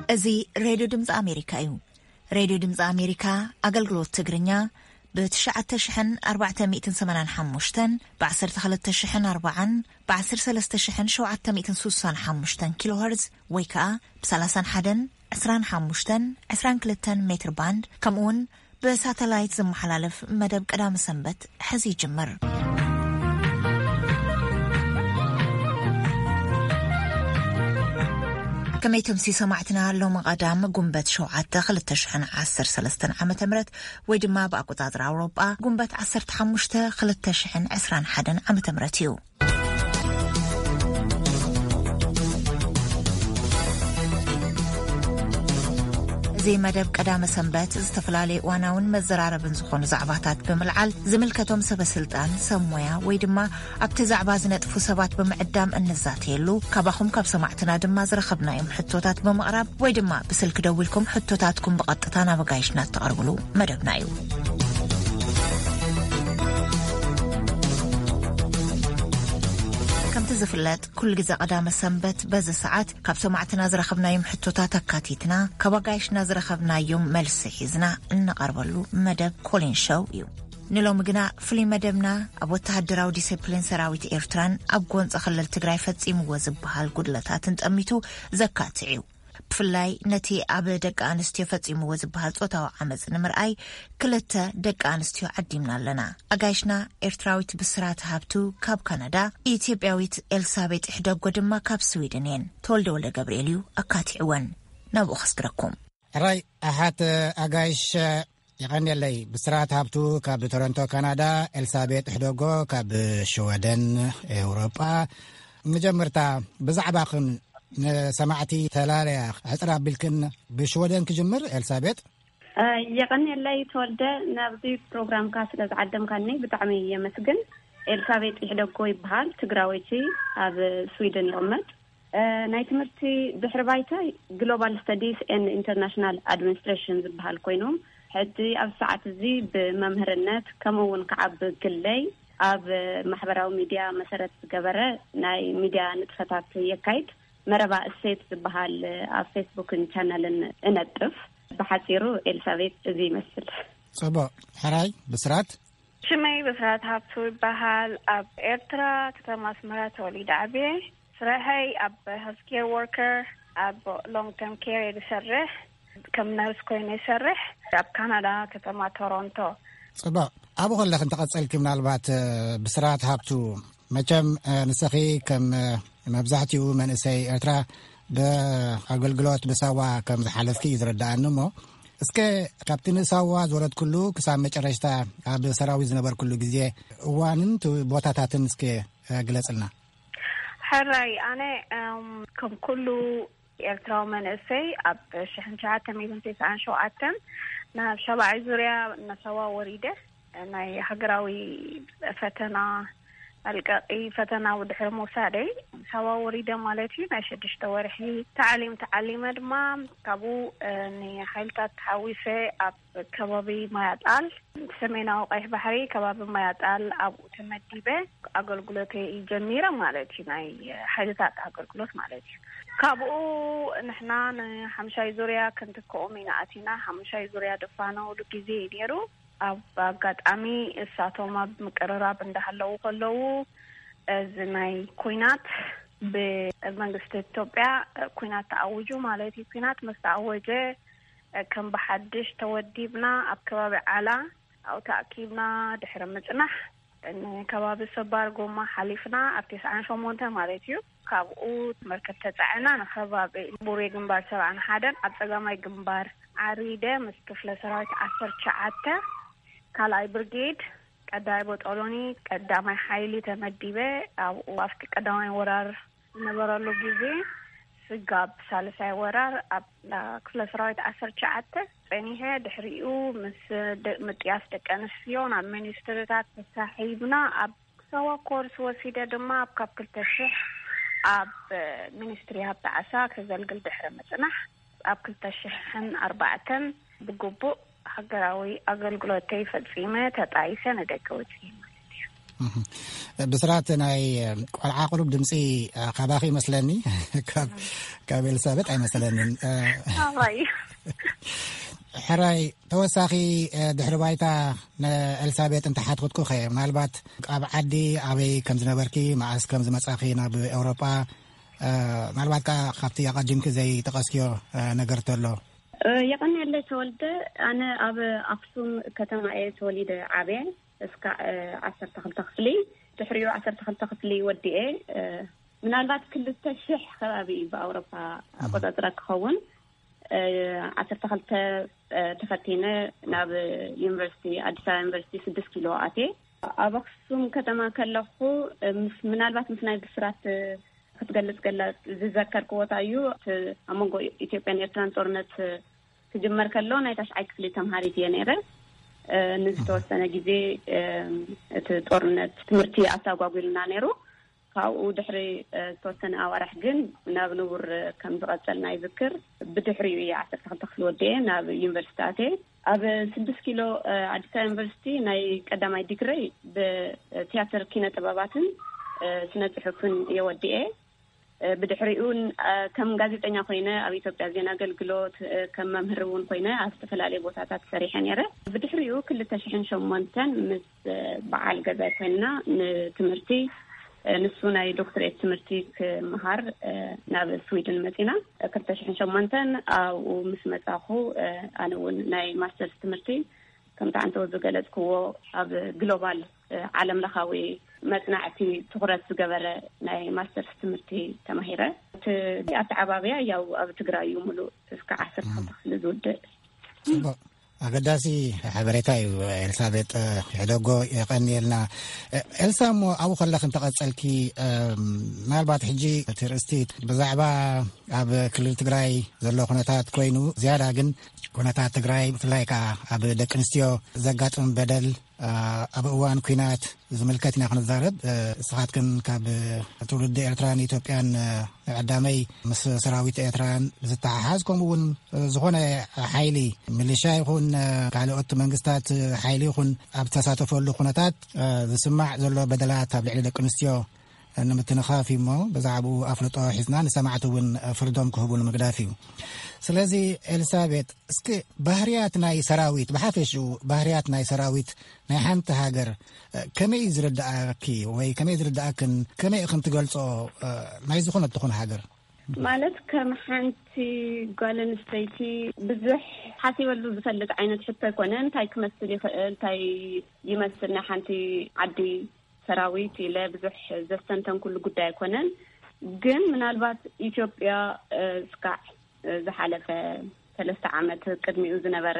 እዚ ሬድዮ ድምፂ ኣሜሪካ እዩ። ሬድዮ ድምፂ ኣሜሪካ ኣገልግሎት ትግርኛ ብ ትሽዓተ ሽሕን ኣርባዕተ ሚእትን ሰማንያን ሓሙሽተን፣ ብ ዓሰርተ ክልተ ሽሕን ኣርባዓን፣ ብ ዓሰርተ ሰለስተ ሽሕን ሸውዓተ ሚእትን ስሳን ሓሙሽተን ኪሎ ሄርዝ ወይ ከዓ ብ ሰላሳን ሓደን፣ ዕስራን ሓሙሽተን፣ ዕስራን ክልተን ሜትር ባንድ፣ ከምኡ እውን ብሳተላይት ዝመሓላለፍ መደብ ቀዳመ ሰንበት ሕዚ ይጅምር። ከመይ ትምሲ ሰማዕትና፣ ሎሚ ቀዳም ጉንበት ሸውዓተ ክልተ ሽሕን ዓሰርተ ሰለስተን ዓመተ ምህረት ወይ ድማ ብኣቆጻጽራ ኣውሮጳ ጉንበት ዓሰርተ ሓሙሽተ ክልተ ሽሕን ዕስራን ሓደን ዓመተ ምህረት እዩ። እዚ መደብ ቀዳመ ሰንበት ዝተፈላለዩ እዋናውን መዘራረብን ዝኾኑ ዛዕባታት ብምልዓል ዝምልከቶም ሰበ ስልጣን፣ ሰብ ሞያ ወይ ድማ ኣብቲ ዛዕባ ዝነጥፉ ሰባት ብምዕዳም እንዛተየሉ፣ ካባኹም ካብ ሰማዕትና ድማ ዝረኸብናዮም ሕቶታት ብምቕራብ ወይ ድማ ብስልኪ ደዊልኩም ሕቶታትኩም ብቐጥታ ናብ ኣጋይሽና እተቕርብሉ መደብና እዩ። ከምቲ ዝፍለጥ፣ ኩሉ ግዜ ቀዳመ ሰንበት በዚ ሰዓት ካብ ሰማዕትና ዝረኸብናዮም ሕቶታት ኣካቲትና፣ ካብ ኣጋይሽና ዝረኸብናዮም መልሲ ሒዝና እንቐርበሉ መደብ ኮሊን ሾው እዩ። ንሎሚ ግና ፍሉይ መደብና ኣብ ወተሃደራዊ ዲሲፕሊን ሰራዊት ኤርትራን ኣብ ጎንፂ ክልል ትግራይ ፈጺምዎ ዝበሃል ጉድለታትን ጠሚቱ ዘካትዕ እዩ። ብፍላይ ነቲ ኣብ ደቂ ኣንስትዮ ፈጺምዎ ዝበሃል ጾታዊ ዓመጽ ንምርኣይ ክልተ ደቂ ኣንስትዮ ዓዲምና ኣለና። ኣጋይሽና ኤርትራዊት ብስራት ሃብቱ ካብ ካናዳ፣ ኢትዮጵያዊት ኤልሳቤጥ ሕደጎ ድማ ካብ ስዊድን እየን። ተወልደ ወልደ ገብርኤል እዩ ኣካቲዕወን። ናብኡ ከስግረኩም። ሕራይ ኣሓት ኣጋይሽ፣ የቐንየለይ። ብስራት ሃብቱ ካብ ቶሮንቶ ካናዳ፣ ኤልሳቤጥ ሕደጎ ካብ ሽወደን ኤውሮጳ። መጀመርታ ብዛዕባኽን ንሰማዕቲ ተላለያ ሕጽር ኣቢልክን ብሽወደን ክጅምር። ኤልሳቤጥ። እ፣ የቐንየለይ ተወልደ፣ ናብዚ ፕሮግራምካ ስለ ዝዓደምካኒ ብጣዕሚ የመስግን። ኤልሳቤጥ ይሕደጎ ይበሃል፣ ትግራወይቲ፣ ኣብ ስዊድን ይቕመጥ። እ፣ ናይ ትምህርቲ ድሕሪ ባይታይ ግሎባል ስተዲስ ኤንድ ኢንተርናሽናል ኣድሚኒስትሬሽን ዝበሃል ኮይኑ፣ ሕጂ ኣብ ሰዓት እዚ ብመምህርነት ከምኡ እውን ከዓ ብግለይ ኣብ ማሕበራዊ ሚድያ መሰረት ዝገበረ ናይ ሚድያ ንጥፈታት የካይድ። መረባ እሴት ዝበሃል ኣብ ፌስቡክን ቻነልን እነጥፍ። ብሓፂሩ ኤልሳቤጥ እዚ ይመስል። ጽቡቕ። ሕራይ ብስራት። ሽመይ ብስራት ሃብቱ ይበሃል። ኣብ ኤርትራ ከተማ ኣስመራ ተወሊደ ዓብየ። ስራሐይ ኣብ ሄልት ኬር ወርከር፣ ኣብ ሎንግ ተርም ኬር እየ ዝሰርሕ። ከም ነርስ ኮይነ ይሰርሕ ኣብ ካናዳ ከተማ ቶሮንቶ። ጽቡቕ። ኣብኡ ከለኺ እንተቐጸልኪ ምናልባት፣ እ፣ ብስራት ሃብቱ፣ መቸም፣ እ፣ ንስኺ ከም፣ እ፣ መብዛሕትኡ መንእሰይ ኤርትራ ብኣገልግሎት ብሳዋ ከም ዝሓለፍኪ እዩ ዝረዳኣኒ እሞ፣ እስከ ካብቲ ንሳዋ ዝወረድኩሉ ክሳብ መጨረሽታ ኣብ ሰራዊት ዝነበርኩሉ ግዜ እዋንን ት-፣ ቦታታትን እስከ፣ እ፣ ግለጽልና። ሕራይ፣ ኣነ፣ እም፣ ከም ኩሉ ኤርትራዊ መንእሰይ ኣብ ሽሕን ትሽዓተ ሚእትን ተስዓን ሸውዓተን ናብ ሻባዒ ዙርያ ናሳዋ ወሪደ። ናይ ሃገራዊ ፈተና መልቀቂ ፈተና ብድሕሪ ምውሳደይ ሳዋ ወሪደ ማለት እዩ። ናይ ሽዱሽተ ወርሒ ታዕሊም ተዓሊመ ድማ ካብኡ፣ እ፣ ንሓይልታት ተሓዊሰ ኣብ ከባቢ ማያጣል፣ ሰሜናዊ ቀይሕ ባሕሪ፣ ከባቢ ማያጣል ኣብኡ ተመዲበ ኣገልግሎተይ ጀሚረ ማለት እዩ። ናይ ሓይልታት ኣገልግሎት ማለት እዩ። ካብኡ ንሕና ንሓምሻይ ዙርያ ክንትክኦም ኢና ኣቲና። ሓምሻይ ዙርያ ድፋነውሉ ግዜ እዩ ነይሩ። ኣብ ኣጋጣሚ እሳቶም ኣብ ምቅርራብ እንዳሃለዉ ከለዉ፣ እዚ ናይ ኩናት ብመንግስቲ ኢትዮጵያ ኩናት ተኣዊጁ ማለት እዩ። ኩናት ምስ ተኣወጀ፣ ከም ብሓድሽ ተወዲብና ኣብ ከባቢ ዓላ ኣብኡ ተኣኪብና ድሕሪ ምጽናሕ፣ ንከባቢ ሰባር ጎማ ሓሊፍና ኣብ ተስዓን ሸሞንተ ማለት እዩ። ካብኡ መርከብ ተጻዒና ንከባቢ ቡሬ ግንባር ሰብዓን ሓደን ኣብ ጸጋማይ ግንባር ዓሪደ ምስ ክፍለ ሰራዊት ዓሰርተ ትሽዓተ ካልኣይ ብርጌድ ቀዳማይ ቦጦሎኒ ቀዳማይ ሓይሊ ተመዲበ። ኣብኡ ኣብቲ ቀዳማይ ወራር ዝነበረሉ ግዜ ስጋብ ሳልሳይ ወራር ኣብ ክፍለ ሰራዊት ዓሰርተ ትሽዓተ ጸኒሐ። ድሕሪኡ ምስ ደ-፣ ምጥያስ ደቂ ኣንስትዮ ናብ ሚኒስትሪታት ተሳሒብና ኣብ ሳዋ ኮርስ ወሲደ ድማ ኣብ ካብ ክልተ ሽሕ ኣብ ሚኒስትሪ ሃብቲ ዓሳ ከገልግል ድሕሪ ምጽናሕ፣ ኣብ ክልተ ሽሕን ኣርባዕተን ብግቡእ ሃገራዊ ኣገልግሎተይ ፈጺመ ተጣይሰ ንደገ ወጺኤ ማለት እዩ። ብስራት ናይ ቆልዓ ቁሩብ ድምፂ ካባኺ ይመስለኒ። ካብ ኤልሳቤጥ ኣይመስለንን። ኣባይ ሕራይ፣ ተወሳኺ ድሕሪ ባይታ ንኤልሳቤጥ እንተሓትኩትኩኸ፣ ምናልባት ኣብ ዓዲ ኣበይ ከም ዝነበርኪ፣ መዓስ ከም ዝመጻኺ ናብ ኤውሮጳ፣ ምናልባት ከዓ ካብቲ ኣቐዲምኪ ዘይጠቐስክዮ ነገር ተሎ። የቐንየለይ ተወልደ። ኣነ ኣብ ኣክሱም ከተማ እየ ተወሊደ ዓብየ። እስካዕ ዓሰርተ ክልተ ክፍሊ፣ ድሕሪኡ ዓሰርተ ክልተ ክፍሊ ወዲኤ፣ ምናልባት ክልተ ሽሕ ከባቢ እዩ ብኣውሮፓ ኣቆጻጽራ ክኸውን። ዓሰርተ ክልተ ተፈቲነ ናብ ዩኒቨርሲቲ፣ ኣዲስ ኣበባ ዩኒቨርሲቲ ስድስት ኪሎ ኣትየ። ኣብ ኣክሱም ከተማ ከለኹ፣ ምስ ምናልባት ምስ ናይ ብስራት ክትገልጽ ገላ ዝዘከርክዎ እንታይ እዩ፣ እቲ ኣብ መንጎ ኢትዮጵያን ኤርትራን ጦርነት ክጅመር ከሎ ናይ ታሽዓይ ክፍሊ ተምሃሪት እየ ነይረ። ንዝተወሰነ ግዜ እቲ ጦርነት ትምህርቲ ኣስተጓጉልና ነይሩ። ካብኡ ድሕሪ ዝተወሰነ ኣዋርሕ ግን ናብ ንቡር ከም ዝቐጸልና ይዝክር። ብድሕሪኡ እየ ዓሰርተ ክልተ ክፍሊ ወዲኤ ናብ ዩኒቨርሲቲ ኣትየ። ኣብ ስድስት ኪሎ ኣዲስ ኣበባ ዩኒቨርሲቲ ናይ ቀዳማይ ዲግረይ ብቲያትር ኪነ ጥበባትን ስነ ጽሑፍን እየ ወዲኤ። ብድሕሪኡ ከም ጋዜጠኛ ኮይነ ኣብ ኢትዮጵያ ዜና ኣገልግሎት ከም መምህር እውን ኮይነ ኣብ ዝተፈላለዩ ቦታታት ሰሪሐ ነይረ። ብድሕሪኡ ክልተ ሽሕን ሸሞንተን ምስ በዓል ገዛይ ኮይንና ንትምህርቲ፣ ንሱ ናይ ዶክትሬት ትምህርቲ ክምሃር ናብ ስዊድን መፂና። ክልተ ሽሕን ሸሞንተን ኣብኡ ምስ መፃኹ ኣነ እውን ናይ ማስተርስ ትምህርቲ ከምቲ ዓንተው ዝገለጽክዎ ኣብ ግሎባል ዓለም ለኻዊ መጽናዕቲ ትኹረት ዝገበረ ናይ ማስተርስ ትምህርቲ ተማሂረ። እቲ ኣተዓባብያ ያው ኣብ ትግራይ እዩ፣ ሙሉእ እስከ ዓሰርተ ክፍሊ ዝውድእ። ጽቡቕ፣ ኣገዳሲ ሓበሬታ እዩ። ኤልሳቤጥ ሕደጎ፣ የቐንየልና። ኤልሳ፣ እሞ ኣብኡ ከለኺ እንተቐጸልኪ፣ ምናልባት ሕጂ እቲ ርእስቲ ብዛዕባ ኣብ ክልል ትግራይ ዘሎ ኩነታት ኮይኑ፣ ዝያዳ ግን ኩነታት ትግራይ ብፍላይ ከዓ ኣብ ደቂ ኣንስትዮ ዘጋጥም በደል ኣብ እዋን ኲናት ዝምልከት ኢና ክንዛረብ። እስኻትክን ካብ ትውልዲ ኤርትራን ኢትዮጵያን ንቐዳመይ ምስ ሰራዊት ኤርትራን ብዝተሓሓዝ፣ ከምኡ እውን ዝኾነ ሓይሊ፣ ሚሊሻ ይኹን ካልኦት መንግስታት ሓይሊ ይኹን ኣብ ተሳተፈሉ ኩነታት ዝስማዕ ዘሎ በደላት ኣብ ልዕሊ ደቂ ኣንስትዮ ንምትንኻፍ እዩ እሞ፣ ብዛዕባኡ ኣፍልጦ ሒዝና ንሰማዕቲ እውን ፍርዶም ክህቡ ንምግዳፍ እዩ። ስለዚ ኤልሳቤጥ፣ እስኪ ባህርያት ናይ ሰራዊት፣ ብሓፈሽኡ ባህርያት ናይ ሰራዊት ናይ ሓንቲ ሃገር ከመይ እዩ ዝርድኣኪ ወይ ከመይ ዝርድኣክን፣ ከመይ ኢኽን ትገልጾ፣ ናይ ዝኾነት ትኹን ሃገር? ማለት ከም ሓንቲ ጓል ኣንስተይቲ ብዙሕ ሓሲበሉ ዝፈልጥ ዓይነት ሕቶ ኣይኮነን። እንታይ ክመስል ይኽእል፣ እንታይ ይመስል ናይ ሓንቲ ዓዲ ሰራዊት ኢለ ብዙሕ ዘስተንተንኩሉ ጉዳይ ኣይኮነን። ግን ምናልባት ኢትዮጵያ እስካዕ ዝሓለፈ ሰለስተ ዓመት ቅድሚኡ ዝነበረ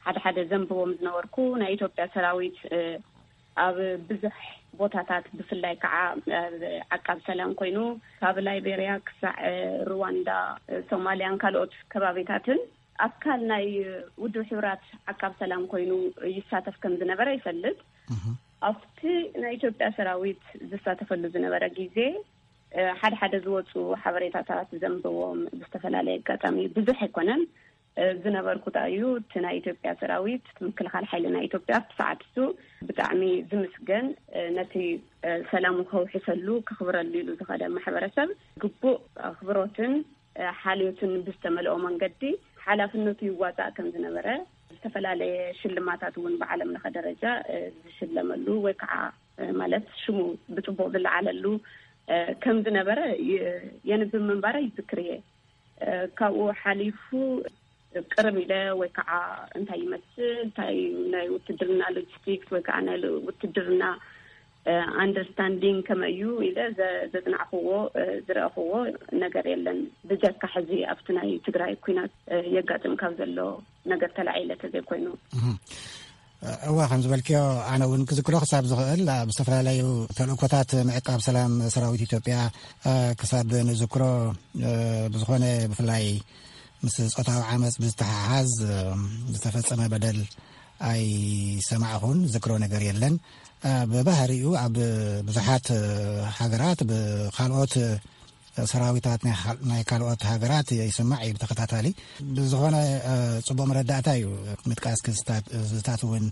ሓደ ሓደ ዘንብቦም ዝነበርኩ ናይ ኢትዮጵያ ሰራዊት ኣብ ብዙሕ ቦታታት ብፍላይ ከዓ ዓቃብ ሰላም ኮይኑ ካብ ላይቤርያ ክሳዕ ሩዋንዳ፣ ሶማልያን ካልኦት ከባቢታትን ኣካል ናይ ውድብ ሕቡራት ዓቃብ ሰላም ኮይኑ ይሳተፍ ከም ዝነበረ ይፈልጥ። ኣብቲ ናይ ኢትዮጵያ ሰራዊት ዝሳተፈሉ ዝነበረ ግዜ ሓደ ሓደ ዝወፁ ሓበሬታታት ዘንብቦም ብዝተፈላለየ ኣጋጣሚ ብዙሕ ኣይኮነን ዝነበርኩ። እንታይ እዩ እቲ ናይ ኢትዮጵያ ሰራዊት፣ ምክልኻል ሓይሊ ናይ ኢትዮጵያ ኣብቲ ሰዓት እሱ ብጣዕሚ ዝምስገን፣ ነቲ ሰላሙ ከውሕሰሉ ከኽብረሉ ኢሉ ዝኸደ ማሕበረሰብ ግቡእ ኣኽብሮትን ሓልዮትን ብዝተመልኦ መንገዲ ሓላፍነቱ ይዋፃእ ከም ዝነበረ፣ ዝተፈላለየ ሽልማታት እውን ብዓለም ለኸ ደረጃ ዝሽለመሉ ወይ ከዓ ማለት ሽሙ ብፅቡቅ ዝለዓለሉ ከም ዝነበረ የንብብ ምንባረ ይዝክር እየ። ካብኡ ሓሊፉ ቅርብ ኢለ ወይ ከዓ እንታይ ይመስል፣ እንታይ ናይ ውትድርና ሎጂስቲክስ ወይ ከዓ ናይ ውትድርና ኣንደርስታንዲንግ ከመይ እዩ ኢለ ዘፅናዕክዎ ዝረእክዎ ነገር የለን። ብጀካ ሕዚ ኣብቲ ናይ ትግራይ ኩናት የጋጥም ካብ ዘሎ ነገር ተላዒለ ተዘይኮይኑ። እዋ፣ ከም ዝበልክዮ ኣነ እውን ክዝክሮ ክሳብ ዝኽእል ኣብ ዝተፈላለዩ ተልእኮታት ምዕቃብ ሰላም ሰራዊት ኢትዮጵያ ክሳብ ንዝክሮ፣ ብዝኾነ ብፍላይ ምስ ፆታዊ ዓመፅ ብዝተሓሓዝ ዝተፈፀመ በደል ኣይሰማዕኹን፣ ዝክሮ ነገር የለን። ብባህሪኡ ኣብ ብዙሓት ሃገራት ብካልኦት ሰራዊታት ናይ ኻል-፣ ናይ ካልኦት ሃገራት ይስማዕ እዩ ብተኸታታሊ። ብዝኾነ፣ እ፣ ጽቡቕ መረዳእታ እዩ ምጥቃስ ክስታት፣ ዝታት እውን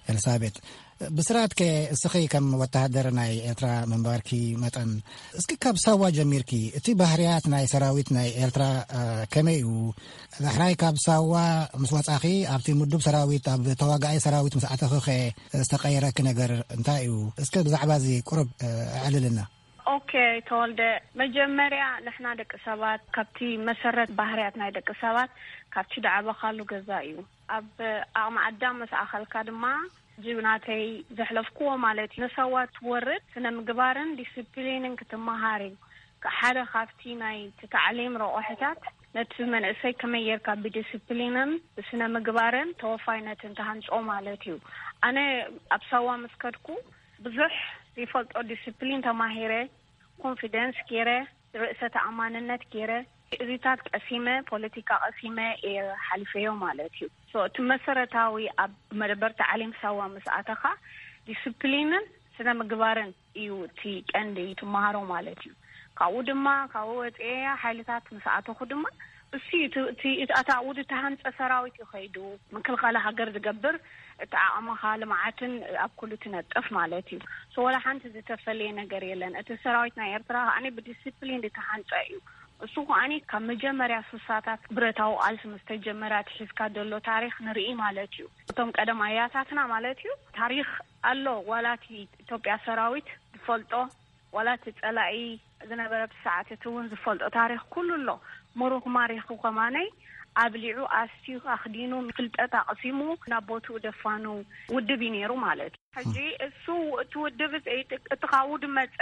ኤልሳቤጥ። ብስራትከ እስኺ ከም ወተሃደር ናይ ኤርትራ ምንባርኪ መጠን፣ እስኪ ካብ ሳዋ ጀሚርኪ፣ እቲ ባህርያት ናይ ሰራዊት ናይ ኤርትራ፣ እ፣ ከመይ እዩ? ዳሕራይ ካብ ሳዋ ምስ ወጻኺ፣ ኣብቲ ምዱብ ሰራዊት፣ ኣብ ተዋጋኣይ ሰራዊት ምስ ኣተኽኸ ዝተቐየረኪ ነገር እንታይ እዩ? እስከ ብዛዕባ እዚ ቁሩብ፣ እ፣ ኣዕልልና። ኦኬ፣ ተወልደ፣ መጀመርያ ንሕና ደቂ ሰባት ካብቲ መሰረት ባህርያት ናይ ደቂ ሰባት ካብቲ ደዓበኻሉ ገዛ እዩ። ኣብ ዓቕሚ ኣዳም ምስ ኣኸልካ ድማ፣ ጅብናተይ ዘሕለፍክዎ ማለት እዩ። ንሰዋ ትወርድ ስነ ምግባርን ዲስፕሊንን ክትመሃር እዩ። ሓደ ካብቲ ናይ እቲ ታዕሊም ረቑሕታት ነቲ መንእሰይ ከመይ ጌርካ ብዲስፕሊንን ብስነ ምግባርን ተወፋይነትን ተሃንጾ ማለት እዩ። ኣነ ኣብ ሳዋ ምስ ከድኩ ብዙሕ ዘይፈልጦ ዲስፕሊን ተማሂረ፣ ኮንፊደንስ ገይረ፣ ርእሰ ተኣማንነት ገይረ፣ እዚታት ቀሲመ፣ ፖለቲካ ቀሲመ እየ ሓሊፈዮ ማለት እዩ። ሶ፣ እቲ መሰረታዊ ኣብ መደበር ታዕሊም ሳዋ ምስ ኣተኻ ዲስፕሊንን ስነ ምግባርን እዩ እቲ ቀንዲ ትመሃሮ ማለት እዩ። ካብኡ ድማ፣ ካብኡ ወፅኤ ሓይልታት ምስ ኣተኹ ድማ፣ እሱ እዩ እቲ፣ እቲ፣ እቲ ኣታ ውድ ተሃንፀ ሰራዊት እዩ ከይዱ። ምክልኻል ሃገር ዝገብር እቲ ዓቕምኻ ልምዓትን ኣብ ኩሉ ትነጥፍ ማለት እዩ። ሶ፣ ወላ ሓንቲ ዝተፈለየ ነገር የለን። እቲ ሰራዊት ናይ ኤርትራ ከኣኒ ብዲስፕሊን ዝተሃንፀ እዩ። እሱ ከኣኒ ካብ መጀመርያ ሱሳታት ብረታዊ ቃልሲ ምስ ተጀመረ ኣትሒዝካ ዘሎ ታሪኽ ንርኢ ማለት እዩ። እቶም ቀደም ኣያታትና ማለት እዩ፣ ታሪኽ ኣሎ፣ ዋላ እቲ ኢትዮጵያ ሰራዊት ዝፈልጦ፣ ዋላ እቲ ጸላኢ ዝነበረ ኣብቲ ሰዓት እቲ እውን ዝፈልጦ ታሪኽ ኩሉ ኣሎ። ምሩኽ ማሪኹ ከማነይ ኣብሊዑ፣ ኣስትዩ፣ ኣኽዲኑ፣ ፍልጠት ኣቕሲሙ ናብ ቦትኡ ደፋኑ ውድብ እዩ ነይሩ ማለት እዩ። ሕጂ እሱ እቲ ውድብ እዚ፣ እቲ ካብኡ ዝመጸ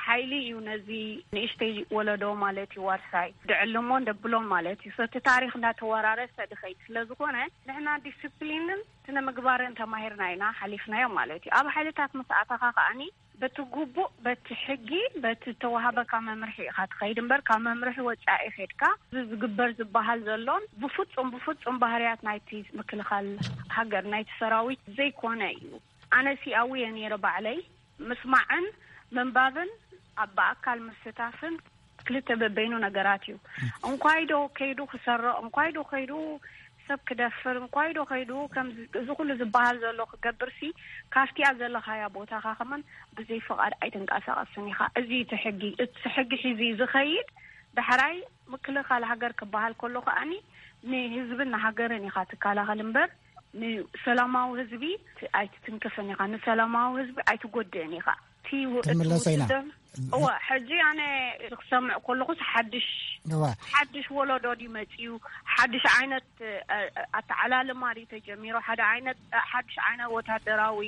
ሓይሊ እዩ ነዚ ንእሽተይ ወለዶ ማለት እዩ ዋርሳይ ድዕልሞን ደብሎን ማለት እዩ። ሰቲ ታሪኽ እንዳተወራረሰ ድኸይድ ስለ ዝኾነ፣ ንሕና ዲስፕሊንን ስነ ምግባርን ተማሂርና ኢና ሓሊፍናዮ ማለት እዩ። ኣብ ሓይልታት ምስ ኣተኻ ከኣኒ በቲ ግቡእ፣ በቲ ሕጊ፣ በቲ ተዋሃበካ መምርሒ ኢኻ ትኸይድ እምበር፣ ካብ መምርሒ ወጻኢ ኸድካ እዚ ዝግበር ዝበሃል ዘሎን ብፍጹም፣ ብፍጹም ባህርያት ናይቲ ምክልኻል ሃገር፣ ናይቲ ሰራዊት ዘይኮነ እዩ። ኣነ ሲኣዊ እየ ነይረ ባዕለይ። ምስማዕን ምንባብን ኣብ ብኣካል ምስታፍን ክልተ በበይኑ ነገራት እዩ። እንኳይ ዶ ከይዱ ክሰርቕ፣ እንኳይ ዶ ከይዱ ሰብ ክደፍር፣ እንኳይ ዶ ከይዱ ከምዚ፣ እዚ ኩሉ ዝበሃል ዘሎ ክገብርሲ፣ ካብቲኣ ዘለኻያ ቦታኻ ከማን ብዘይ ፍቓድ ኣይትንቀሳቐስን ኢኻ። እዚ እቲ ሕጊ፣ እቲ ሕጊ ሒዙ ዝኸይድ ዳሕራይ ምክልኻል ሃገር ክበሃል ከሎ ከኣኒ ንህዝብን ንሃገርን ኢኻ ትከላኸል እምበር፣ ንሰላማዊ ህዝቢ ኣይትትንክፍን ኢኻ፣ ንሰላማዊ ህዝቢ ኣይትጎድእን ኢኻ። እቲ ው-፣ እቲ ትምለሰ ኢና። ውትድር-፣ እወ፣ ሕጂ ኣነ ክሰምዕ ከለኹስ ሓድሽ፣ እዋ። ሓድሽ ወለዶ ድዩ መጺኡ፣ ሓድሽ ዓይነት፣ እ፣ ኣተዓላልማ ድዩ ተጀሚሩ፣ ሓደ ዓይነት፣ እ፣ ሓድሽ ዓይነት ወታደራዊ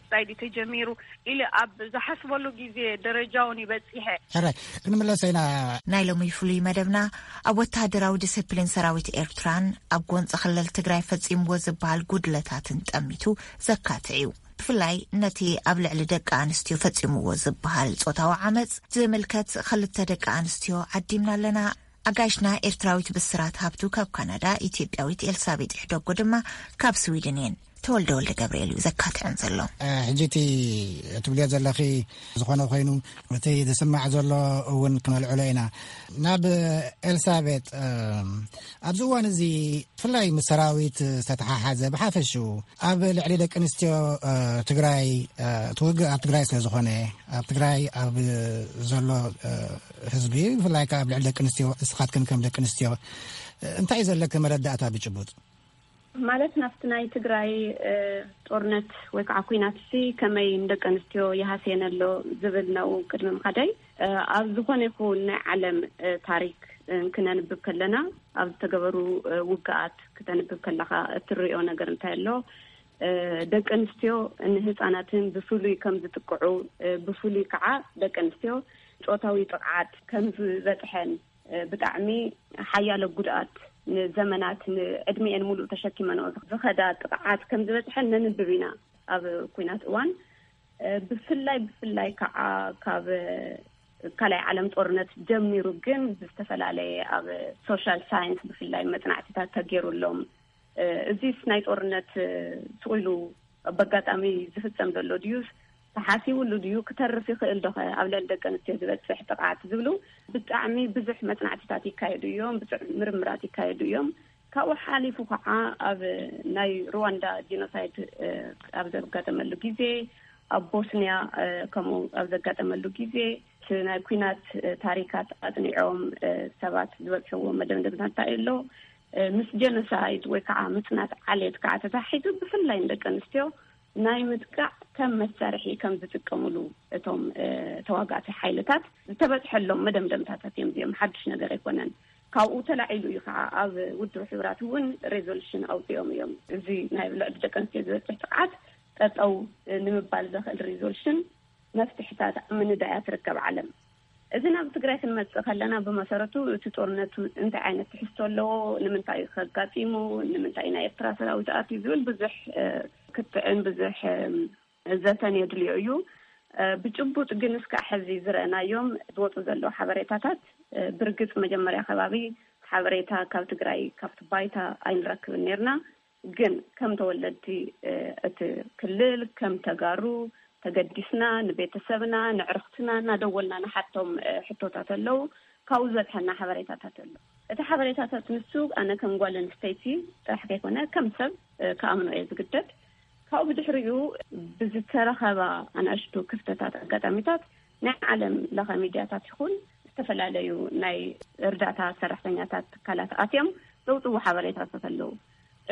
ስታይ ድዩ ተጀሚሩ ኢለ ኣብ ዝሓስበሉ ግዜ ደረጃ እውን ይበጺሐ። ሕራይ፣ ክንምለስ ኢና። ናይ ሎሚ ፍሉይ መደብና ኣብ ወተሃደራዊ ዲስፕሊን ሰራዊት ኤርትራን ኣብ ጎንፂ ክልል ትግራይ ፈጺምዎ ዝበሃል ጉድለታትን ጠሚቱ ዘካትዕ እዩ። ብፍላይ ነቲ ኣብ ልዕሊ ደቂ ኣንስትዮ ፈጺምዎ ዝበሃል ጾታዊ ዓመጽ ዝምልከት ክልተ ደቂ ኣንስትዮ ዓዲምና ኣለና። ኣጋይሽና ኤርትራዊት ብስራት ሃብቱ ካብ ካናዳ፣ ኢትዮጵያዊት ኤልሳቤጥ ሕደጎ ድማ ካብ ስዊድን እየን። ተወልደ ወልደ ገብርኤል እዩ ዘካትዐን ዘሎ። እ፣ ሕጂ እቲ እትብልዮ ዘለኺ ዝኾነ ኮይኑ፣ እቲ ዝስማዕ ዘሎ እውን ክነልዕሎ ኢና። ናብ ኤልሳቤጥ፣ እ፣ ኣብዚ እዋን እዚ ብፍላይ ምስ ሰራዊት ዝተተሓሓዘ፣ ብሓፈሽኡ ኣብ ልዕሊ ደቂ ኣንስትዮ፣ እ፣ ትግራይ፣ እ፣ እቲ ውግእ ኣብ ትግራይ ስለ ዝኾነ፣ ኣብ ትግራይ ኣብ ዘሎ፣ እ፣ ህዝቢ፣ ብፍላይ ከኣ ኣብ ልዕሊ ደቂ ኣንስትዮ፣ ንስኻትክን ከም ደቂ ኣንስትዮ፣ እ፣ እንታይ እዩ ዘለኪ መረዳእታ ብጭቡጥ? ማለት ናብቲ ናይ ትግራይ፣ እ፣ ጦርነት ወይ ከዓ ኲናት ሲ ከመይ ንደቂ ኣንስትዮ ይሃስየን ኣሎ ዝብል ነው ቅድሚ ምኻደይ፣ እ፣ ኣብ ዝኾነ ይኹን ናይ ዓለም፣ እ፣ ታሪክ፣ እ፣ ክነንብብ ከለና፣ ኣብ ዝተገበሩ፣ እ፣ ውግኣት ክተንብብ ከለኻ እትርእዮ ነገር እንታይ ኣሎ? እ፣ ደቂ ኣንስትዮ ንህፃናትን ብፍሉይ ከም ዝጥቅዑ፣ እ፣ ብፍሉይ ከዓ ደቂ ኣንስትዮ ጾታዊ ጥቕዓት ከም ዝበፅሐን፣ እ፣ ብጣዕሚ ሓያሎ ጉድኣት ንዘመናት ንዕድሚኤን ሙሉእ ተሸኪመንኦ ዝኸዳ ጥቕዓት ከም ዝበፅሐን ነንብብ ኢና ኣብ ኲናት እዋን። እ፣ ብፍላይ፣ ብፍላይ ከዓ ካብ ካልኣይ ዓለም ጦርነት ጀሚሩ ግን ብዝተፈላለየ ኣብ ሶሻል ሳይንስ ብፍላይ መጽናዕትታት ተገይሩሎም፣ እ፣ እዚስ ናይ ጦርነት፣ እ፣ ስቕ ኢሉ በጋጣሚ ዝፍጸም ዘሎ ድዩስ ተሓሲቡሉ ድዩ? ክተርፍ ይኽእል ዶኸ ኣብ ልዕሊ ደቂ ኣንስትዮ ዝበፅሕ ጥቕዓት ዝብሉ ብጣዕሚ ብዙሕ መፅናዕትታት ይካየዱ እዮም፣ ብዙሕ ምርምራት ይካየዱ እዮም። ካብኡ ሓሊፉ ከዓ ኣብ ናይ ሩዋንዳ ጂኖሳይድ ኣብ ዘጋጠመሉ ግዜ፣ ኣብ ቦስኒያ ከምኡ ኣብ ዘጋጠመሉ ግዜ እቲ ናይ ኩናት ታሪካት ኣፅኒዖም ሰባት ዝበፅሕዎ መደምደምታ እንታይ ኣሎ? ምስ ጀኖሳይድ ወይ ከዓ ምፅናት ዓሌት ከዓ ተታሒዙ ብፍላይ ንደቂ ኣንስትዮ ናይ ምጥቃዕ ከም መሳርሒ ከም ዝጥቀምሉ እቶም ተዋጋእቲ ሓይልታት ዝተበፅሐሎም መደምደምታታት እዮም። እዚኦም ሓድሽ ነገር ኣይኮነን። ካብኡ ተላዒሉ እዩ ከዓ ኣብ ውድብ ሕቡራት እውን ሬዞሉሽን ኣውፂኦም እዮም። እዚ ናይ ልዕሊ ደቂ ኣንስትዮ ዝበፅሕ ጥቕዓት ጠጠው ንምባል ዘኽእል ሬዞሉሽን መፍትሕታት ኣብ ምንዳያ ትርከብ ዓለም። እዚ ናብ ትግራይ ክንመፅእ ከለና ብመሰረቱ እቲ ጦርነት እንታይ ዓይነት ትሕዝቶ ኣለዎ፣ ንምንታይ ከጋጢሙ፣ ንምንታይ ናይ ኤርትራ ሰራዊት ኣትዩ ዝብል ብዙሕ ክትዕን ብዙሕ ዘተን የድልዮ እዩ። ብጭቡጥ ግን እስካዕ ሕዚ ዝረእናዮም ዝወፁ ዘለዉ ሓበሬታታት ብርግፅ መጀመሪያ ከባቢ ሓበሬታ ካብ ትግራይ ካብቲ ባይታ ኣይንረክብን ነርና። ግን ከም ተወለድቲ እቲ ክልል ከም ተጋሩ ተገዲስና ንቤተሰብና ንዕርክትና እናደወልና ንሓቶም ሕቶታት ኣለዉ። ካብኡ ዝበፅሐና ሓበሬታታት ኣሎ። እቲ ሓበሬታታት ንሱ ኣነ ከም ጓል ኣንስተይቲ ጥራሕ ከይኮነ ከም ሰብ ክኣምኖ እየ ዝግደድ። ካብኡ ብድሕሪኡ ብዝተረኸባ ኣናእሽቱ ክፍተታት ኣጋጣሚታት ናይ ዓለም ለኸ ሚድያታት ይኹን ዝተፈላለዩ ናይ እርዳታ ሰራሕተኛታት ትካላት ኣትዮም ዘውፅዎ ሓበሬታታት ኣለዉ።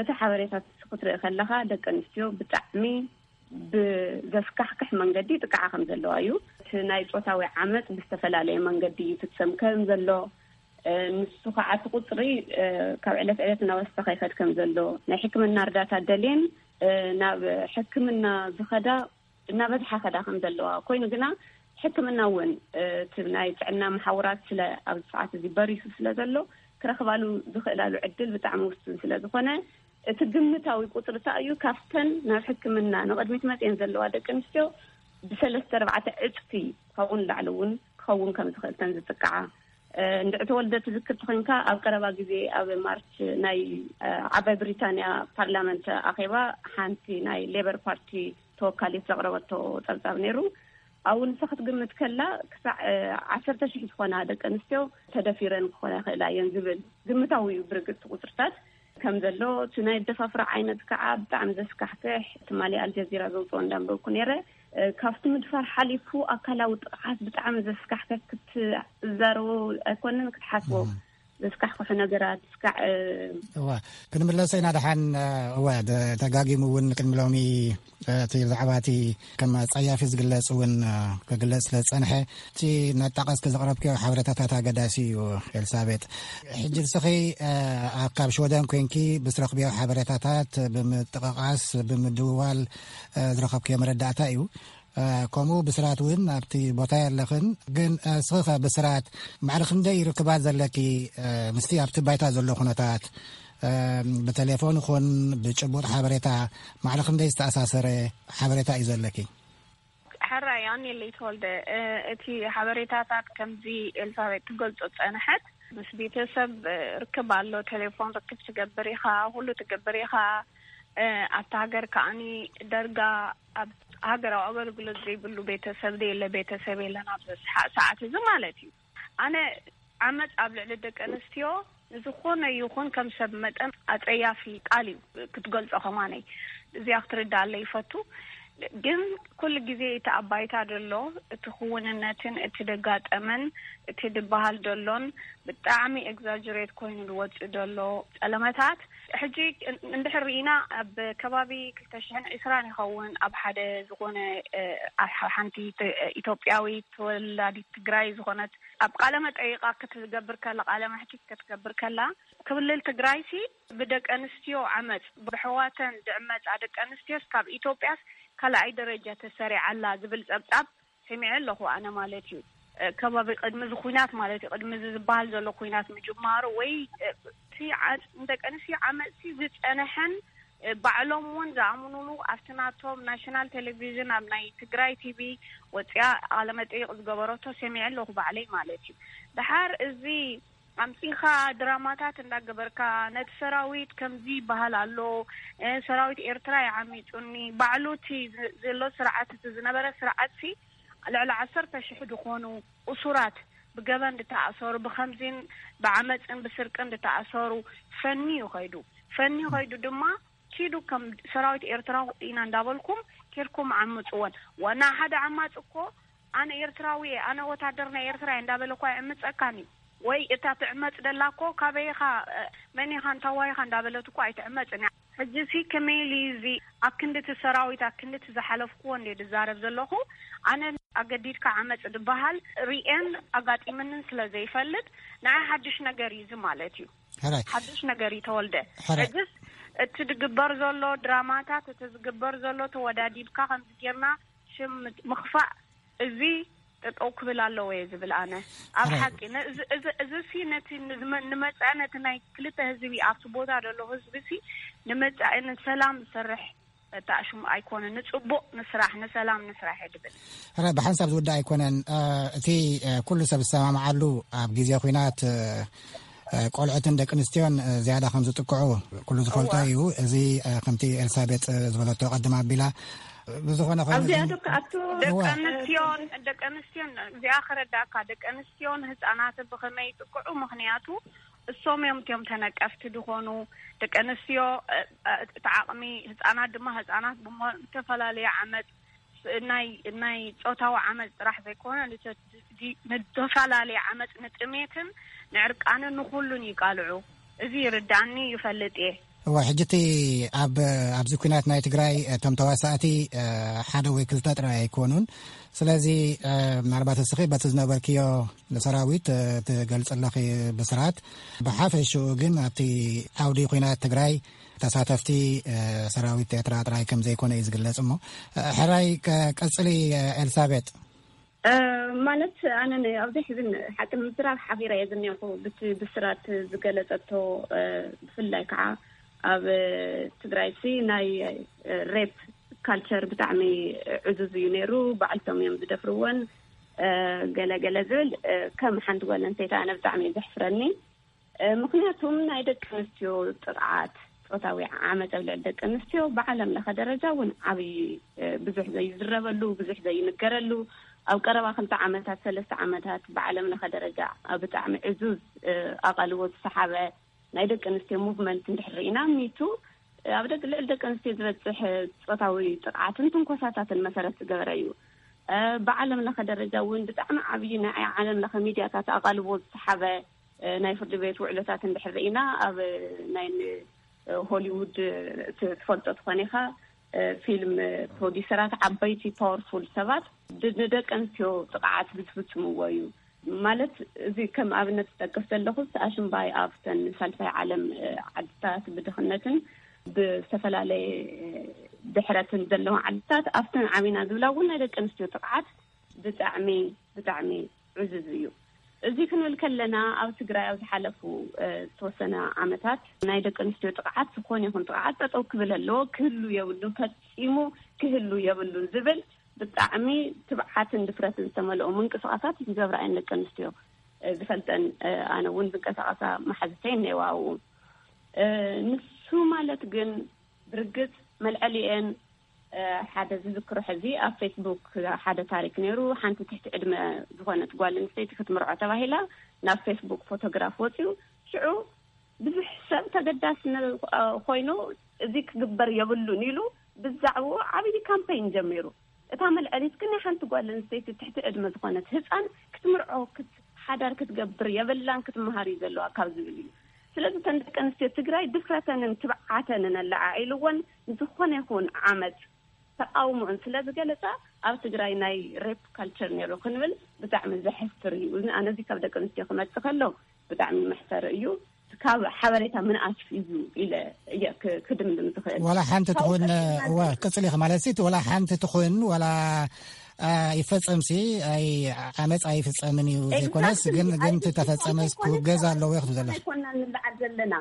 እቲ ሓበሬታት ክትርኢ ከለኻ ደቂ ኣንስትዮ ብጣዕሚ ብዘስካሕክሕ መንገዲ ጥቃዓ ከም ዘለዋ እዩ። እቲ ናይ ፆታዊ ዓመፅ ብዝተፈላለየ መንገዲ ይፍፀም ከም ዘሎ፣ ንሱ ከዓ እቲ ቁፅሪ ካብ ዕለት ዕለት እናወሰኸ ይኸድ ከም ዘሎ፣ ናይ ሕክምና እርዳታ ደልየን ናብ ሕክምና ዝኸዳ እናበዝሓ ከዳ ከም ዘለዋ ኮይኑ ግና ሕክምና እውን እቲ ናይ ጥዕና መሓውራት ስለ ኣብዚ ሰዓት እዚ በሪሱ ስለ ዘሎ ክረኽባሉ ዝኽእላሉ ዕድል ብጣዕሚ ውሱን ስለ ዝኾነ እቲ ግምታዊ ቁፅሪ እንታይ እዩ ካብተን ናብ ሕክምና ንቕድሚት መፅየን ዘለዋ ደቂ ኣንስትዮ ብሰለስተ ኣርባዕተ ዕፅፊ ካብኡ ንላዕሊ እውን ክኸውን ከም ዝኽእልተን ዝጥቃዓ እንድዕተወልደ ትዝክር ተኮንካ ኣብ ቀረባ ግዜ ኣብ ማርች ናይ ዓባይ ብሪታንያ ፓርላመንት ኣኼባ ሓንቲ ናይ ሌበር ፓርቲ ተወካሊት ዘቕረበቶ ጸብጻብ ነይሩ። ኣብኡ ንሳ ክትግምት ከላ ክሳዕ ዓሰርተ ሽሕ ዝኾና ደቂ ኣንስትዮ ተደፊረን ክኾና ይኽእላ እየን ዝብል ግምታዊ እዩ። ብርግጽ ቁጽርታት ከም ዘሎ እቲ ናይ ኣደፋፍራ ዓይነት ከዓ ብጣዕሚ ዘስካሕክሕ ትማሊ ኣልጀዚራ ዘውፅኦ እንዳንበብኩ ነይረ። ካብቲ ምድፋር ሓሊፉ ኣካላዊ ጥቕዓት ብጣዕሚ ዘስካሕክሕ ክትዛረቡ ኣይኮንን ክትሓስቦ ዘስካሕክሑ ነገራት እስካዕ እዋ ክንምለሰ ኢና ደሓን። እዋ ተጋጊሙ እውን ቅድሚ ሎሚ እቲ ብዛዕባ እቲ ከም ጸያፊ ዝግለጽ እውን ክግለጽ ስለ ዝጸንሐ እቲ እናጣቐስኪ ዘቕረብክዮ ሓበሬታታት ኣገዳሲ እዩ። ኤልሳቤጥ ሕጂ ንስኺ ካብ ሽወደን ኮንኪ ብስረኽብዮ ሓበሬታታት ብምጥቕቓስ ብምድውዋል ዝረኸብክዮ መረዳእታ እዩ። ከምኡ ብስራት እውን ኣብቲ ቦታ የለኽን። ግን እስኺ ከ ብስራት ማዕረ ክንደይ ርክባት ዘለኪ ምስቲ ኣብቲ ባይታ ዘሎ ኩነታት ብቴሌፎን ይኹን ብጭቡጥ ሓበሬታ ማዕረ ክንደይ ዝተኣሳሰረ ሓበሬታ እዩ ዘለኪ? ሕራይ ኣኔለይ ተወልደ፣ እቲ ሓበሬታታት ከምዚ ኤልሳቤጥ ትገልጾ ጸንሐት። ምስ ቤተሰብ ርክብ ኣሎ፣ ቴሌፎን ርክብ ትገብር ኢኻ፣ ኩሉ ትገብር ኢኻ። ኣብቲ ሃገር ከኣኒ ደርጋ ኣብ ሃገራዊ ኣገልግሎት ዘይብሉ ቤተሰብ ደየለ፣ ቤተሰብ የለን ኣብዚ ሰዓት እዚ ማለት እዩ። ኣነ ዓመፅ ኣብ ልዕሊ ደቂ ኣንስትዮ ንዝኾነ ይኹን ከም ሰብ መጠን ኣፀያፊ ቃል እዩ ክትገልፆ። ከማነይ እዚኣ ክትርዳኣለ ይፈቱ። ግን ኩሉ ግዜ እቲ ኣብ ባይታ ደሎ እቲ ክውንነትን እቲ ደጋጠመን እቲ ድበሃል ደሎን ብጣዕሚ ኤግዛጀሬት ኮይኑ ዝወፅእ ደሎ ፀለመታት ሕጂ እንድሕር ርኢና ኣብ ከባቢ ክልተ ሽሕን ዕስራን ይኸውን ኣብ ሓደ ዝኾነ ሓንቲ ኢትዮጵያዊት ተወላዲት ትግራይ ዝኾነት ኣብ ቃለ መጠይቃ ክትገብር ከላ ቃለ መሕትት ክትገብር ከላ ክልል ትግራይሲ ብደቂ ኣንስትዮ ዓመፅ ብሕዋተን ዝዕመፃ ደቂ ኣንስትዮስ ካብ ኢትዮጵያስ ካልኣይ ደረጃ ተሰሪዓ ኣላ ዝብል ፀብፃብ ሰሚዐ ኣለኹ ኣነ ማለት እዩ። ከባቢ ቅድሚ እዚ ኩናት ማለት እዩ ቅድሚ እዚ ዝበሃል ዘሎ ኩናት ምጅማሩ ወይ እቲ ንደቂ ኣንስትዮ ዓመፅቲ ዝፀነሐን ባዕሎም እውን ዝኣምኑሉ ኣብቲ ናቶም ናሽናል ቴሌቪዥን ኣብ ናይ ትግራይ ቲቪ ወፅያ ቃለመጠይቅ ዝገበረቶ ሰሚዐ ኣለኹ ባዕለይ ማለት እዩ። ድሓር እዚ ኣምጺኻ ድራማታት እንዳገበርካ፣ ነቲ ሰራዊት ከምዚ ይበሃል ኣሎ፣ እ፣ ሰራዊት ኤርትራ ይዓሚጹኒ፣ ባዕሉ እቲ ዝ-፣ ዘሎ ስርዓት፣ እቲ ዝነበረ ስርዓትሲ፣ ልዕሊ ዓሰርተ ሽሕ ዝኾኑ እሱራት ብገበን ዝተኣሰሩ፣ ብኸምዚን ብዓመጽን ብስርቅን ዝተኣሰሩ ፈንዩ ከይዱ። ፈንዩ ከይዱ ድማ፣ ኪዱ ከም ሰራዊት ኤርትራ ኢና እንዳበልኩም ኬድኩም ዓምጽወን። ዋና ሓደ ዓማጽ እኮ ኣነ ኤርትራዊ እየ፣ ኣነ ወታደር ናይ ኤርትራ እየ እንዳበለ እኳ ይዕምጸካኒ። ወይ እታ ትዕመጽ ደላ እኮ ካበይ ኢኻ፣ እ፣ መን ኢኻ፣ እንታዋይ ኢኻ እንዳበለት እኮ ኣይትዕመጽን እያ። ሕጂ ሲ ከመይ ኢሉ እዚ ኣብ ክንዲ እቲ ሰራዊት፣ ኣብ ክንዲ እቲ ዝሓለፍኩዎ እንደ ዝዛረብ ዘለኹ፣ ኣነ ኣገዲድካ ዓመጽ ዝበሃል ሪኤን ኣጋጢምንን ስለ ዘይፈልጥ፣ ንዓይ ሓድሽ ነገር እዩ እዚ ማለት እዩ። ሕራይ። ሓድሽ ነገር እዩ ተወልደ። ሕራይ። ሕጅስ እቲ ዝግበር ዘሎ ድራማታት፣ እቲ ዝግበር ዘሎ ተወዳዲብካ ከምዚ ጌርና ሽም ምት-፣ ምኽፋእ፣ እዚ ጠጠው ክብል ኣለዎ እየ ዝብል ኣነ። ኣብ ሕራይ። ሓቂ፣ ነ-፣ እዚ፣ እዚ፣ እዚ ሲ ነቲ ንዝመ-፣ ንመጻኢ ነቲ ናይ ክልተ ህዝቢ ኣብቲ ቦታ ዘሎ ህዝቢ ሲ ንመጻኢ ንሰላም ዝሰርሕ በጣዕሽም ኣይኮነ፣ ንጽቡቕ ንስራሕ፣ ንሰላም ንስራሕ እየ ድብል። ሕራይ፣ ብሓንሳብ ዝውዳእ ኣይኮነን። እ፣ እቲ፣ እ፣ ኩሉ ሰብ ዝሰማምዓሉ ኣብ ግዜ ኲናት፣ እ፣ እ፣ ቆልዑትን ደቂ ኣንስትዮን፣ እ፣ ዝያዳ ከም ዝጥቅዑ ኩሉ ዝፈልጦ እዋ። እዩ። እዚ፣ እ፣ ከምቲ ኤልሳቤጥ፣ እ፣ ዝበለቶ ቀድም ኣቢላ፣ እ፣ ብዝኾነ ኮይኑ ኣብዚኣ ግን ዶ ክኣቱ? ደቂ እዋ። ኣንስትዮን፣ ደቂ ኣንስትዮን፣ እዚኣ ክረዳእካ፣ ደቂ ኣንስትዮን ህፃናትን ብኸመይ ይጥቅዑ? ምኽንያቱ እሶም እዮም እቲኦም ተነቀፍቲ ዝኾኑ። ደቂ ኣንስትዮ፣ እ፣ እ፣ እቲ ዓቕሚ ህፃናት ድማ፣ ህፃናት ብሞ-፣ ዝተፈላለየ ዓመፅ፣ ናይ፣ ናይ ጾታዊ ዓመፅ ጥራሕ ዘይኮነ፣ ንተ-፣ ንተፈላለየ ዓመፅ፣ ንጥሜትን ንዕርቃንን ንኹሉን ይቃልዑ። እዚ ይርዳእኒ፣ ይፈልጥ እየ። እዋ፣ ሕጂ እቲ ኣብ፣ ኣብዚ ኲናት ናይ ትግራይ እቶም ተዋሳእቲ፣ እ፣ ሓደ ወይ ክልተ ጥራይ ኣይኮኑን። ስለዚ፣ እ፣ ምናልባት እስኺ በቲ ዝነበርክዮ ንሰራዊት፣ እ፣ ትገልጽ ኣለኺ ብስራት። ብሓፈሽኡ ግን ኣብቲ ዓውዲ ኲናት ትግራይ ተሳተፍቲ፣ እ፣ ሰራዊት ኤርትራ ጥራይ ከም ዘይኮነ እዩ ዝግለጽ። እሞ፣ እ፣ ሕራይ ቀ-፣ ቀጽሊ፣ እ፣ ኤልሳቤጥ። እ፣ ማለት ኣነ ን-፣ ኣብዚ ሕዚ ን-፣ ሓቂ ንምዝራብ ሓፊረ እየ ዝኒኹ ብቲ ብስራት ዝገለጸቶ፣ እ፣ ብፍላይ ከዓ ኣብ፣ እ፣ ትግራይ ሲ ናይ፣ እ፣ ሬፕ ካልቸር ብጣዕሚ ዕዙዝ እዩ ነይሩ። ባዕልቶም እዮም ዝደፍርወን፣ እ፣ ገለ ገለ ዝብል፣ እ፣ ከም ሓንቲ ጓል ኣንስተይቲ ኣነ ብጣዕሚ እዩ ዘሕፍረኒ። እ፣ ምኽንያቱም ናይ ደቂ ኣንስትዮ ጥቕዓት፣ ጾታዊ ዓመፅ ኣብ ልዕሊ ደቂ ኣንስትዮ ብዓለም ለኸ ደረጃ እውን ዓብዪ፣ እ፣ ብዙሕ ዘይዝረበሉ፣ ብዙሕ ዘይንገረሉ፣ ኣብ ቀረባ ክልተ ዓመታት፣ ሰለስተ ዓመታት ብዓለም ለኸ ደረጃ ኣብ ብጣዕሚ ዕዙዝ፣ እ፣ ኣቓልቦ ዝሰሓበ ናይ ደቂ ኣንስትዮ ሙቭመንት እንድሕር ርኢና፣ ሚቱ፣ እ፣ ኣብ ደቂ፣ ልዕሊ ደቂ ኣንስትዮ ዝበፅሕ ጾታዊ ጥቕዓትን ትንኮሳታትን መሰረት ዝገበረ እዩ። እ፣ ብዓለም ለኸ ደረጃ እውን ብጣዕሚ ዓብዪ ናይ ዓለም ለኸ ሚድያታት ኣቓልቦ ዝሰሓበ፣ እ፣ ናይ ፍርዲ ቤት ውዕሎታት እንድሕር ርኢና፣ ኣብ ናይ ን-፣ እ፣ ሆሊውድ፣ እ፣ ት-፣ ትፈልጦ ትኾን ኢኻ፣ እ፣ ፊልም ፕሮዲሰራት ዓበይቲ ፓወርፉል ሰባት ድ-፣ ንደቂ ኣንስትዮ ጥቕዓት ብዝፍጽምዎ እዩ። ማለት፣ እዚ ከም ኣብነት ዝጠቅስ ዘለኹ፣ ኣሽምባይ ኣብተን ሳልሳይ ዓለም፣ እ፣ ዓድታት ብድኽነትን ብዝተፈላለየ፣ እ፣ ድሕረትን ዘለዋ ዓድታት፣ ኣብተን ዓቢና ዝብላ እውን ናይ ደቂ ኣንስትዮ ጥቕዓት ብጣዕሚ፣ ብጣዕሚ ዕዙዝ እዩ። እዚ ክንብል ከለና፣ ኣብ ትግራይ ኣብ ዝሓለፉ፣ እ፣ ዝተወሰነ ዓመታት ናይ ደቂ ኣንስትዮ ጥቕዓት፣ ዝኾነ ይኹን ጥቕዓት ጠጠው ክብል ኣለዎ፣ ክህሉ የብሉን፣ ፈጺሙ ክህሉ የብሉን ዝብል ብጣዕሚ ትብዓትን ድፍረትን ዝተመልኦ ምንቅስቓሳት ዝገብራ እየን ደቂ ኣንስትዮ፣ እ፣ ዝፈልጠን፣ እ፣ ኣነ እውን ዝንቀሳቐሳ መሓዝተይ እኒአዋ ኣብኡ። እ፣ ንሱ ማለት ግን ብርግጽ መልዐሊኤን፣ እ፣ ሓደ ዝዝክሮ ሕዚ ኣብ ፌስቡክ ሓደ ታሪክ ነይሩ። ሓንቲ ትሕቲ ዕድመ ዝኾነት ጓል ኣንስተይቲ ክትምርዖ ተባሂላ ናብ ፌስቡክ ፎቶግራፍ ወፂኡ። ሽዑ ብዙሕ ሰብ ተገዳሲ ነ-፣ እ፣ ኮይኑ፣ እዚ ክግበር የብሉን ኢሉ ብዛዕባኡ ዓብዪ ካምፔይን ጀሚሩ። እታ መልዐሊት ግን ናይ ሓንቲ ጓል ኣንስተይቲ ትሕቲ ዕድመ ዝኾነት ህፃን ክትምርዖ፣ ክት-፣ ሓዳር ክትገብር የብላን፣ ክትመሃር እዩ ዘለዋ ካብ ዝብል እዩ። ስለዚ እተን ደቂ ኣንስትዮ ትግራይ ድፍረተንን ትብዓተንን ኣለዓዒልወን፣ ንዝኾነ ይኹን ዓመፅ ተቃውሞአን ስለ ዝገለጻ፣ ኣብ ትግራይ ናይ ሬፕ ካልቸር ነይሩ ክንብል ብጣዕሚ ዘሕፍር እዩ። እዚ ኣነ እዚ ካብ ደቂ ኣንስትዮ ክመጽእ ከሎ ብጣዕሚ መሕፈሪ እዩ። ካብ ሓበሬታ ምንኣስ እዩ ኢለ እየ ክ-፣ ክድምድም ዝኽእል። ዋላ ሓንቲ ካብኡ ትኹን፣ ቀጺልና እዋ፣ ግን ቅጽል ኢኻ ማለት ሲ፣ ዋላ ሓንቲ ትኹን፣ ዋላ፣ አ፣ ይፈጸም ሲ፣ ኣይ፣ ዓመጽ ኣይፍጸምን እዩ ዘይኮነስ፣ ኤግዛክትሊ። ግን፣ ግን እቲ ኣይፍጸምን ተፈጸመስ ዘይኮነስ ክውገዝ ካብ ኣለዎ ኢኹም ዘለኹም። ኣይኮናን ንለዓል ዘለና።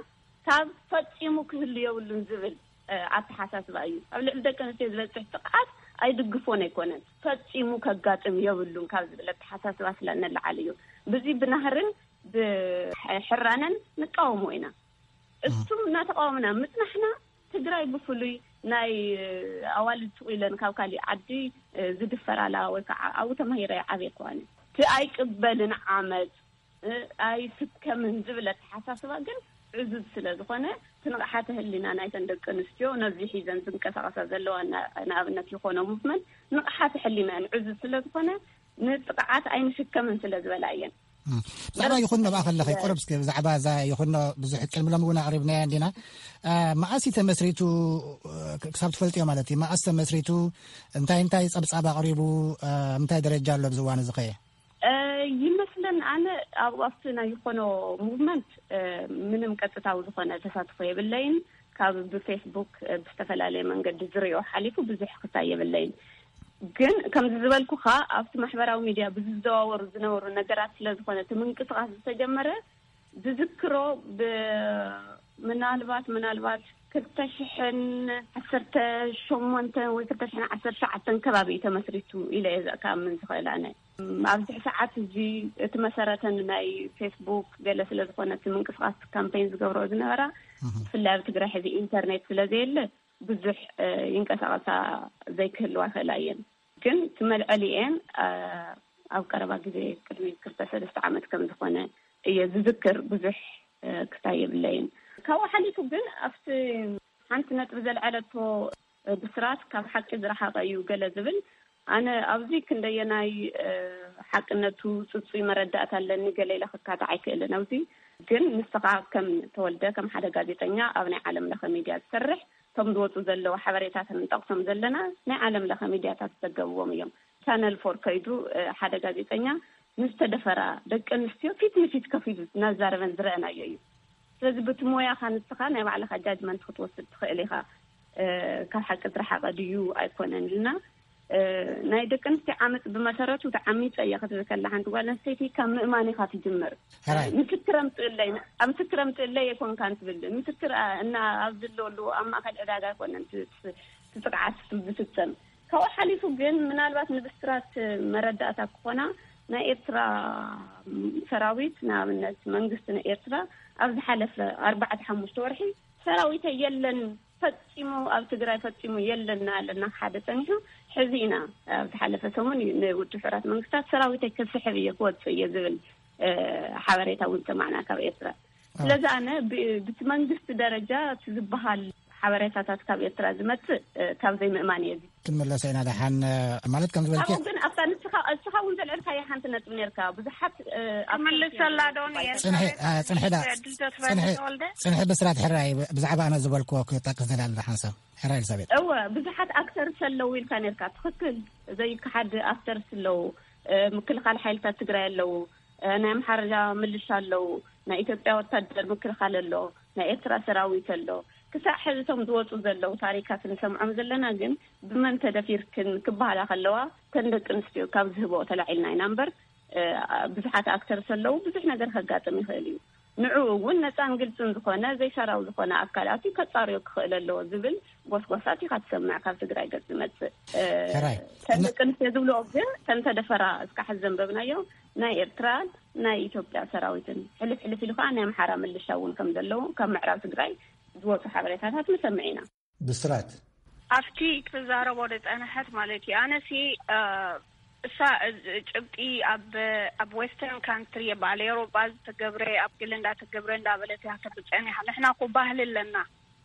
ካብ ፈጺሙ ክህሉ የብሉን ዝብል፣ እ፣ ኣተሓሳስባ እዩ። ኣብ ልዕሊ ደቂ ኣንስትዮ ዝበጽሕ ጥቕዓት ኣይድግፎን ኣይኮነን። ፈጺሙ ከጋጥም የብሉን ካብ ዝብል ኣተሓሳስባ ስለ ንለዓል እዩ። ብዚ ብናህርን ብሕራነን ንቃወሞ ኢና። እሱም እናተቃወምና ምጽናሕና፣ ትግራይ ብፍሉይ ናይ ኣዋልድ ስቕ ኢለን ካብ ካሊእ ዓዲ ዝድፈራላ ወይ ከዓ ኣብኡ ተማሂረ ዓብየ ከዋኒ እቲ ኣይቅበልን ዓመፅ ኣይስከምን ዝብል ኣተሓሳስባ ግን ዕዙዝ ስለ ዝኾነ፣ ትንቕሓተ ህሊና ናይተን ደቂ ኣንስትዮ ነዚ ሒዘን ዝንቀሳቐሳ ዘለዋ፣ ንኣብነት ይኾኖ ሙቭመንት ንቕሓተ ሕሊናን ዕዙዝ ስለ ዝኾነ፣ ንጥቕዓት ኣይንሽከምን ስለ ዝበላ እየን። ብዛዕባ ይኹኖ ብኣ ከለኸ፣ ቆረብ እስኪ ብዛዕባ እዛ ይኹኖ ብዙሕ ቅድሚ ሎም እውን ኣቕሪብናያ እንዲና። መኣስ ተመስሪቱ? ክሳብ ትፈልጥዮ ማለት እዩ። መኣስ ተመስሪቱ? እንታይ እንታይ ጸብጻብ ኣቕሪቡ? እንታይ ደረጃ ኣሎ ኣብዚ እዋን እዚ ኸየ? ይመስለን ኣነ ኣብ ኣብቲ ናይ ይኾኖ ሙቭመንት ምንም ቀጥታዊ ዝኾነ ተሳትፎ የብለይን። ካብ ብፌስቡክ ብዝተፈላለየ መንገዲ ዝሪኦ ሓሊፉ ብዙሕ ክታይ የብለይን። ግን ከምዚ ዝበልኩኻ ኣብቲ ማሕበራዊ ሚድያ ብዝዘዋወሩ ዝነበሩ ነገራት ስለ ዝኾነ እቲ ምንቅስቃስ ዝተጀመረ ዝዝክሮ ብ-፣ ምናልባት፣ ምናልባት ክልተ ሽሕን ዓሰርተ ሸሞንተን ወይ ክልተ ሽሕን ዓሰርተ ሸዓተን ከባቢ እዩ ተመስሪቱ ኢለ እየ ክኣምን ዝኽእል ኣነ። ኣብዚ ሰዓት እዚ እቲ መሰረተን ናይ ፌስቡክ ገለ ስለ ዝኾነ እቲ ምንቅስቃስ ካምፔን ዝገብሮ ዝነበራ፣ ብፍላይ ኣብ ትግራይ ሕዚ ኢንተርኔት ስለ ዘየለ ብዙሕ ይንቀሳቐሳ ዘይክህልዋ ይኽእላ እየን። ግን ትመልዐሊኤን ኣብ ቀረባ ግዜ ቅድሚ ክልተ ሰለስተ ዓመት ከም ዝኾነ እየ ዝዝክር። ብዙሕ ክታይ የብለይን። ካብኡ ሓሊፉ ግን ኣብቲ ሓንቲ ነጥቢ ዘልዐለቶ ብስራት ካብ ሓቂ ዝረሓቐ እዩ ገለ ዝብል፣ ኣነ ኣብዚ ክንደየናይ ሓቅነቱ ጽጹይ መረዳእታ ኣለኒ ገለ ኢለ ክካታዕ ኣይክእልን። ኣብዚ ግን ንስኻ ከም ተወልደ ከም ሓደ ጋዜጠኛ ኣብ ናይ ዓለም ለኸ ሚድያ ዝሰርሕ፣ እቶም ዝወፁ ዘለዉ ሓበሬታትን ንጠቕሶም ዘለና ናይ ዓለም ለኸ ሚድያታት ዝዘገብዎም እዮም። ቻነል ፎር ከይዱ ሓደ ጋዜጠኛ ንዝተደፈራ ደቂ ኣንስትዮ ፊት ንፊት ከፊሉ እናዛረበን ዝረአናዮ እዩ። ስለዚ ብቲ ሞያኻ ንስኻ ናይ ባዕልኻ ጃጅመንት ክትወስድ ትኽእል ኢኻ። ካብ ሓቂ ዝረሓቐ ድዩ ኣይኮነን ኢልና ናይ ደቂ ኣንስትዮ ዓመፅ ብመሰረቱ ተዓሚፀ እየ ክትብል ከላ ሓንቲ ጓል ኣንስተይቲ ካብ ምእማን ኢኻ ትጅምር። ምስክር ኣምፅእለይ፣ ምስክር ኣምፅእለይ ኣይኮንካን ትብል። ምስክር እና ኣብ ዝለወሉ ኣብ ማእከል ዕዳጋ ኣይኮነን ትፅቅዓት ዝፍፀም። ካብኡ ሓሊፉ ግን ምናልባት ንብስራት መረዳእታ ክኾና ናይ ኤርትራ ሰራዊት፣ ንኣብነት መንግስቲ ናይ ኤርትራ ኣብ ዝሓለፈ ኣርባዕተ ሓሙሽተ ወርሒ ሰራዊተ የለን ፈጺሙ ኣብ ትግራይ ፈጺሙ የለና ኣለና ሓደ ጸኒሑ። ሕዚ ኢና ኣብ ዝሓለፈ ሰሙን እዩ ንውድብ ሕቡራት መንግስታት ሰራዊተይ ክስሕብ እየ ክወጽእ እየ ዝብል ሓበሬታ እውን ሰማዕና ካብ ኤርትራ። ስለዚ ኣነ ብቲ መንግስቲ ደረጃ እቲ ዝበሃል ሓበሬታታት ካብ ኤርትራ ዝመጽእ ካብ ዘይምእማን እየ። ክንመለሰ ኢና ደሓን። ማለት ከም ዝበልኪ ግን ኣብታ ንስኻ እስኻ እውን ዘልዕልካያ ሓንቲ ነጥብ ነርካ ብዙሓት ክመልሰላ ዶ ንየ ጽንሒ ጽንሒ ዳ ጽንሒ ብስራት ሕራይ ብዛዕባ ኣነ ዝበልክዎ ክጠቅስ ደላለ ሓንሳብ ሕራይ ኤልሳቤጥ። እወ ብዙሓት ኣክተርስ ኣለዉ ኢልካ ነርካ። ትኽክል፣ ዘይከሓድ ኣክተርስ ኣለዉ። ምክልኻል ሓይልታት ትግራይ ኣለዉ። ናይ ኣምሓራ ምልሻ ኣለዉ። ናይ ኢትዮጵያ ወታደር ምክልኻል ኣሎ። ናይ ኤርትራ ሰራዊት ኣሎ። ክሳዕ ሕዚ እቶም ዝወፁ ዘለዉ ታሪካት ንሰምዖም ዘለና ግን ብመን ተደፊርክን ክበሃላ ከለዋ ተን ደቂ ኣንስትዮ ካብ ዝህቦ ተላዒልና ኢና እምበር ብዙሓት ኣክተርስ ኣለዉ። ብዙሕ ነገር ከጋጥም ይኽእል እዩ። ንዕኡ እውን ነፃን ግልፅን ዝኾነ ዘይሻራዊ ዝኾነ ኣካል ኣትዩ ከፃርዮ ክኽእል ኣለዎ ዝብል ጎስጓሳት ኢኻ ትሰምዕ ካብ ትግራይ ገፅ ዝመፅእ። ተን ደቂ ኣንስትዮ ዝብልኦ ግን ተን ተደፈራ እስካዕ ሕዚ ዘንበብናዮ ናይ ኤርትራን ናይ ኢትዮጵያ ሰራዊትን ሕልፍ ሕልፍ ኢሉ ከዓ ናይ ኣምሓራ ምልሻ እውን ከም ዘለዉ ካብ ምዕራብ ትግራይ ዝወፁ ሓበሬታታት ንሰምዕ ኢና። ብስራት ኣብቲ ክትዛረቦ ዝፀንሐት ማለት እዩ። ኣነሲ እሳ ጭብጢ ኣብ ኣብ ዌስተርን ካንትሪ በዓል ኤሮጳ ዝተገብረ ኣብ ግሊ እንዳተገብረ እንዳበለት እያ ትብል ፀኒሓ። ንሕና እኮ ባህሊ ኣለና።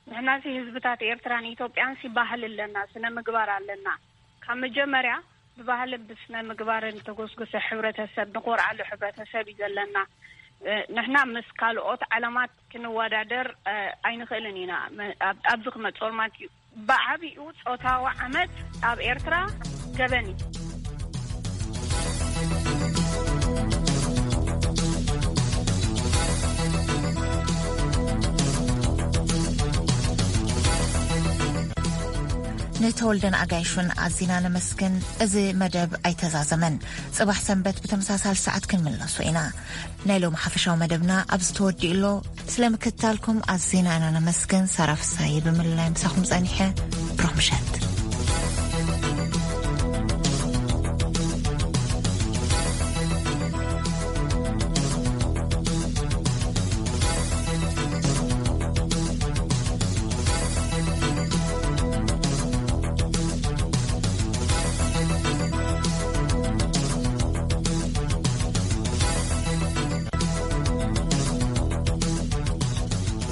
ንሕናሲ ህዝብታት ኤርትራን ኢትዮጵያንሲ ባህሊ ኣለና፣ ስነ ምግባር ኣለና። ካብ መጀመርያ ብባህልን ብስነ ምግባርን ተጎስጉሰ ሕብረተሰብ ንኾርዓሉ ሕብረተሰብ እዩ ዘለና። ንሕና ምስ ካልኦት ዓለማት ክንወዳደር ኣይንኽእልን ኢና። ኣብዚ ክመፅኦ ማለት እዩ። ብዓብኡ ፆታዊ ዓመፅ ኣብ ኤርትራ ገበን እዩ። ንተወልደን ኣጋይሹን ኣዚና ነመስግን። እዚ መደብ ኣይተዛዘመን። ጽባሕ ሰንበት ብተመሳሳሊ ሰዓት ክንምለሶ ኢና። ናይ ሎም ሓፈሻዊ መደብና ኣብዚ ተወዲኡ ኣሎ። ስለ ምክትታልኩም ኣዚና ኢና ነመስግን። ሳራ ፍሳይ ብምልላይ ምሳኹም ጸኒሐ። ብሩኽ ምሸት።